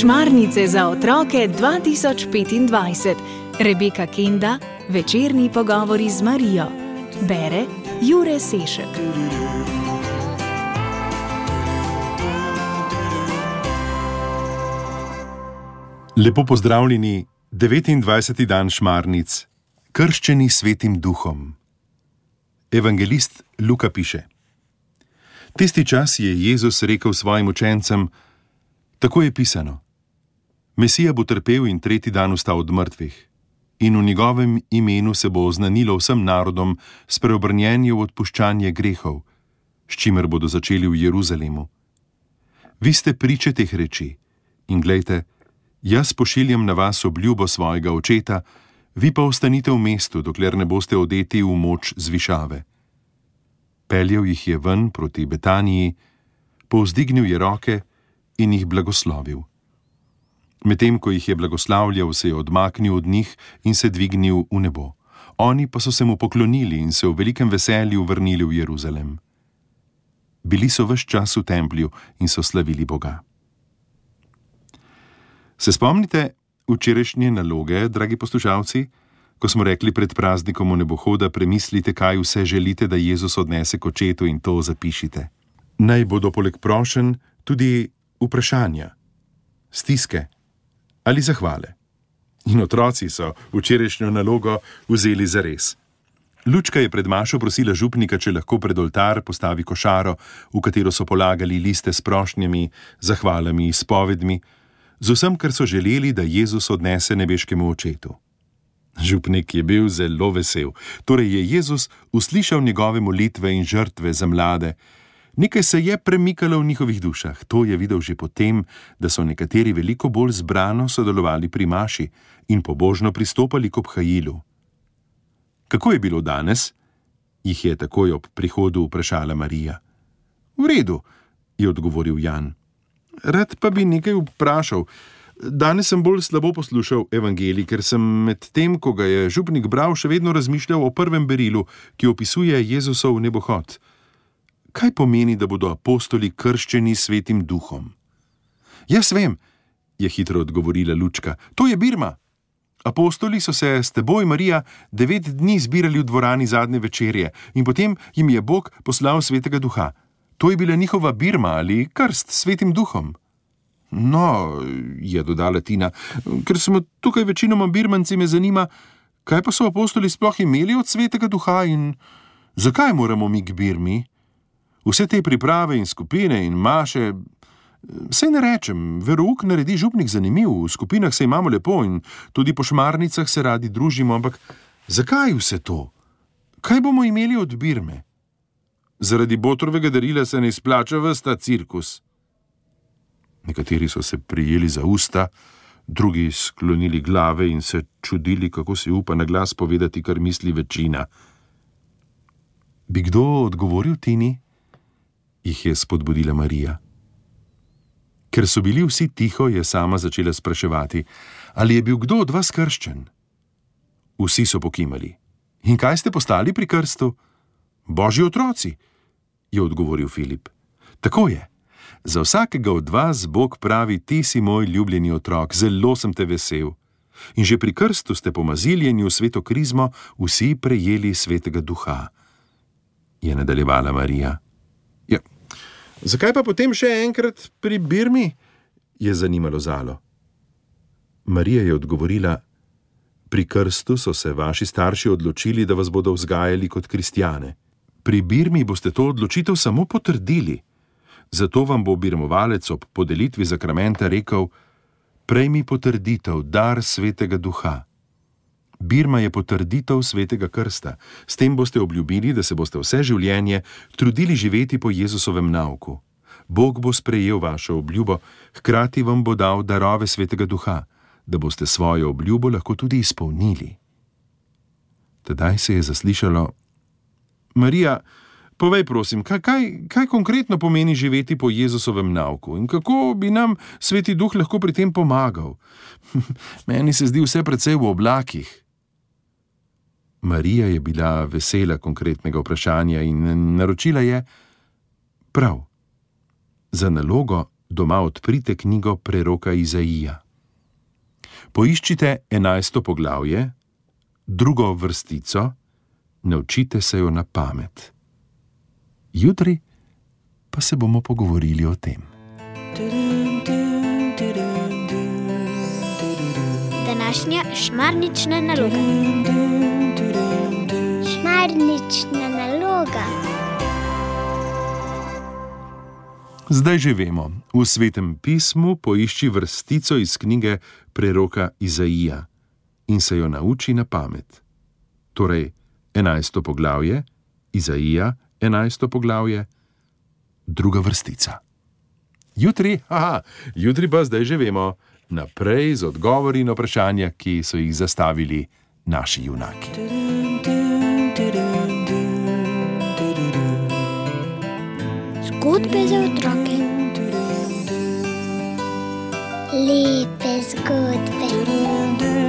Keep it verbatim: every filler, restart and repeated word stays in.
Šmarnice za otroke dva tisoč petindvajset. Rebeka Kenda, večerni pogovori z Marijo. Bere Jure Sešek. Lepo pozdravljeni, devetindvajseti dan šmarnic, krščeni svetim duhom. Evangelist Luka piše: Tisti čas je Jezus rekel svojim učencem: Tako je pisano, Mesija bo trpel in tretji dan vstal od mrtvih, in v njegovem imenu se bo oznanilo vsem narodom spreobrnjenje v odpuščanje grehov, s čimer bodo začeli v Jeruzalemu. Vi ste priče teh reči in glejte, jaz pošiljam na vas obljubo svojega očeta, vi pa ostanite v mestu, dokler ne boste odeti v moč zvišave. Peljal jih je ven proti Betaniji, povzdignil je roke in jih blagoslovil. Medtem ko jih je blagoslavljal, se je odmaknil od njih in se dvignil v nebo. Oni pa so se mu poklonili in se v velikem veselju vrnili v Jeruzalem. Bili so ves čas v templju in so slavili Boga. Se spomnite včerajšnje naloge, dragi poslušalci, ko smo rekli pred praznikom v nebohoda, premislite, kaj vse želite, da Jezus odnese k očetu, in to zapišite. Naj bodo poleg prošenj tudi vprašanja, stiske ali zahvale. In otroci so včerajšnjo nalogo vzeli zares. Lučka je pred mašo prosila župnika, če lahko pred oltar postavi košaro, v katero so polagali liste s prošnjami, zahvalami, izpovedmi, z vsem, kar so želeli, da Jezus odnese nebeškemu očetu. Župnik je bil zelo vesel, torej je Jezus uslišal njegove molitve in žrtve za mlade. Nekaj se je premikalo v njihovih dušah. To je videl že potem, da so nekateri veliko bolj zbrano sodelovali pri maši in pobožno pristopali k obhajilu. Kako je bilo danes? Jih je takoj ob prihodu vprašala Marija. V redu, je odgovoril Jan. Rad pa bi nekaj vprašal. Danes sem bolj slabo poslušal evangelij, ker sem med tem, ko ga je župnik bral, še vedno razmišljal o prvem berilu, ki opisuje Jezusov nebohod. Kaj pomeni, da bodo apostoli krščeni svetim duhom? Jaz vem, je hitro odgovorila Lučka. To je birma. Apostoli so se s teboj, Marija, devet dni zbirali v dvorani zadnje večerje in potem jim je Bog poslal svetega duha. To je bila njihova birma ali krst s svetim duhom. No, je dodala Tina, ker smo tukaj večinoma birmanci, me zanima, kaj pa so apostoli sploh imeli od svetega duha in zakaj moramo mi k birmi? Vse te priprave in skupine in maše, saj ne rečem, verouk naredi župnik zanimiv, v skupinah se imamo lepo in tudi po šmarnicah se radi družimo, ampak zakaj vse to? Kaj bomo imeli od birme? Zaradi botrovega darila se ne izplača ves ta cirkus. Nekateri so se prijeli za usta, drugi sklonili glave in se čudili, kako si upa na glas povedati, kar misli večina. Bi kdo odgovoril Tini? Jih je spodbudila Marija. Ker so bili vsi tiho, je sama začela spraševati, ali je bil kdo od vas krščen? Vsi so pokimali. In kaj ste postali pri krstu? Božji otroci, je odgovoril Filip. Tako je. Za vsakega od vas Bog pravi, ti si moj ljubljeni otrok, zelo sem te vesel. In že pri krstu ste po maziljenju v sveto krizmo vsi prejeli svetega duha, je nadaljevala Marija. Ja, zakaj pa potem še enkrat pri birmi? Je zanimalo Zalo. Marija je odgovorila, pri krstu so se vaši starši odločili, da vas bodo vzgajali kot kristjane. Pri birmi boste to odločitev samo potrdili. Zato vam bo birmovalec ob podelitvi zakramenta rekel, prejmi potrditev, dar svetega duha. Birma je potrditev svetega krsta. S tem boste obljubili, da se boste vse življenje trudili živeti po Jezusovem nauku. Bog bo sprejel vašo obljubo, hkrati vam bo dal darove svetega duha, da boste svojo obljubo lahko tudi izpolnili. Tedaj se je zaslišalo: Marija, povej prosim, kaj, kaj, kaj konkretno pomeni živeti po Jezusovem nauku in kako bi nam sveti duh lahko pri tem pomagal? Meni se zdi vse precej v oblakih. Marija je bila vesela konkretnega vprašanja in naročila je: prav, za nalogo doma odprite knjigo preroka Izaija. Poiščite enajsto poglavje, drugo vrstico, naučite se jo na pamet. Jutri pa se bomo pogovorili o tem. Današnja šmarnična naloga. Šmarnična naloga. Zdaj že vemo, v Svetem pismu poišči vrstico iz knjige preroka Izaija in se jo nauči na pamet. Torej, enajsto poglavje, Izaija, enajsto poglavje, druga vrstica. Jutri, aha, jutri pa zdaj že vemo, naprej z odgovori na vprašanja, ki so jih zastavili naši junaki. Zgodbe za otroke. Lepe zgodbe.